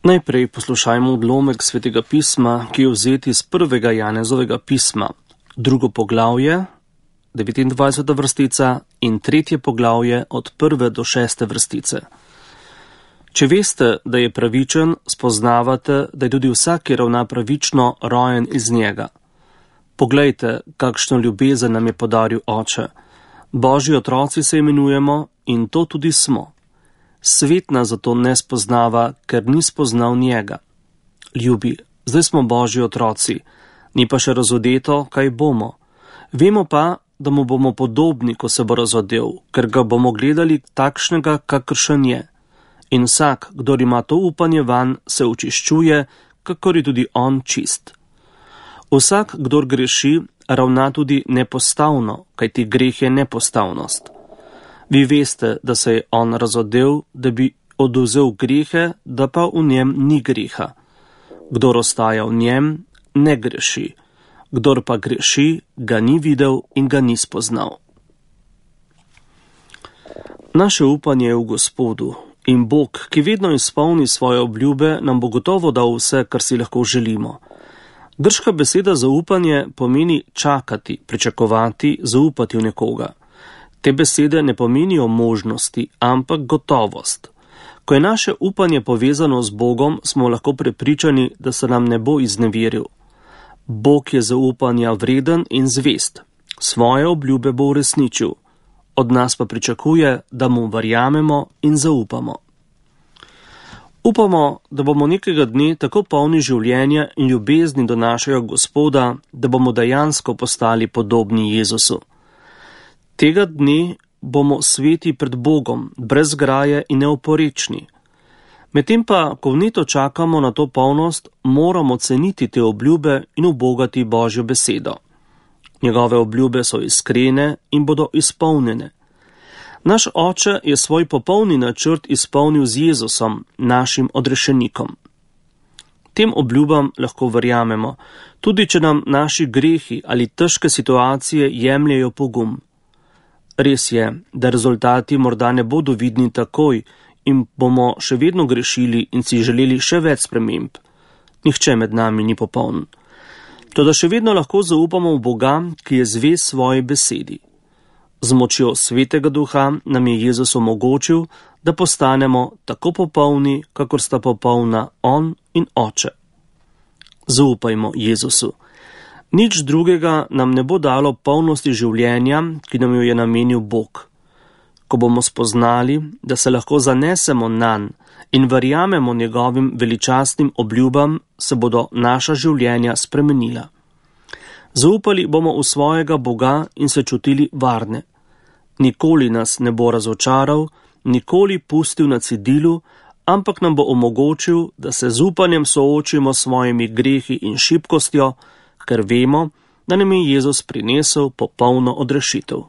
Najprej poslušajmo odlomek Svetega pisma, ki je vzet iz 1. Janezovega pisma, 2. poglavje, 29. vrstica in 3. poglavje od 1. do 6. vrstice. Če veste, da je pravičen, spoznavate, da je tudi vsak, ki ravna pravično, rojen iz njega. Poglejte, kakšno ljubezen nam je podaril Oče. Božji otroci se imenujemo in to tudi smo. Svet nas zato ne spoznava, ker ni spoznal njega. Ljubi, zdaj smo Božji otroci, ni pa še razodeto, kaj bomo. Vemo pa, da mu bomo podobni, ko se bo razodel, ker ga bomo gledali takšnega, kakršen je. In vsak, kdor ima to upanje vanj, se očiščuje, kakor je tudi on čist. Vsak, kdor greši, ravna tudi nepostavno, kajti greh je nepostavnost. Vi veste, da se je on razodel, da bi odvzel grehe, da pa v njem ni greha. Kdor ostaja v njem, ne greši. Kdor pa greši, ga ni videl in ga ni spoznal. Naše upanje je v Gospodu in Bog, ki vedno izpolni svoje obljube, nam bo gotovo dal vse, kar si lahko želimo. Grška beseda za upanje pomeni čakati, pričakovati, zaupati v nekoga. Te besede ne pomenijo možnosti, ampak gotovost. Ko je naše upanje povezano z Bogom, smo lahko prepričani, da se nam ne bo izneveril. Bog je zaupanja vreden in zvest. Svoje obljube bo uresničil. Od nas pa pričakuje, da mu verjamemo in zaupamo. Upamo, da bomo nekega dne tako polni življenja in ljubezni do našega Gospoda, da bomo dejansko postali podobni Jezusu. Tega dne bomo sveti pred Bogom, brez graje in neoporečni. Medtem pa, ko vneto čakamo na to polnost, moramo ceniti te obljube in ubogati Božjo besedo. Njegove obljube so iskrene in bodo izpolnjene. Naš Oče je svoj popolni načrt izpolnil z Jezusom, našim odrešenikom. Tem obljubam lahko verjamemo, tudi če nam naši grehi ali težke situacije jemljejo pogum. Res je, da rezultati morda ne bodo vidni takoj in bomo še vedno grešili in si želeli še več sprememb. Nihče med nami ni popoln. Toda še vedno lahko zaupamo v Boga, ki je zvest svoji besedi. Z močjo Svetega Duha nam je Jezus omogočil, da postanemo tako popolni, kakor sta popolna On in Oče. Zaupajmo Jezusu. Nič drugega nam ne bo dalo polnosti življenja, ki nam jo je namenil Bog. Ko bomo spoznali, da se lahko zanesemo nanj in verjamemo njegovim veličastnim obljubam, se bodo naša življenja spremenila. Zaupali bomo v svojega Boga in se čutili varne. Nikoli nas ne bo razočaral, nikoli pustil na cedilu, ampak nam bo omogočil, da se z upanjem soočimo s svojimi grehi in šibkostjo, ker vemo, da nam je Jezus prinesel popolno odrešitev.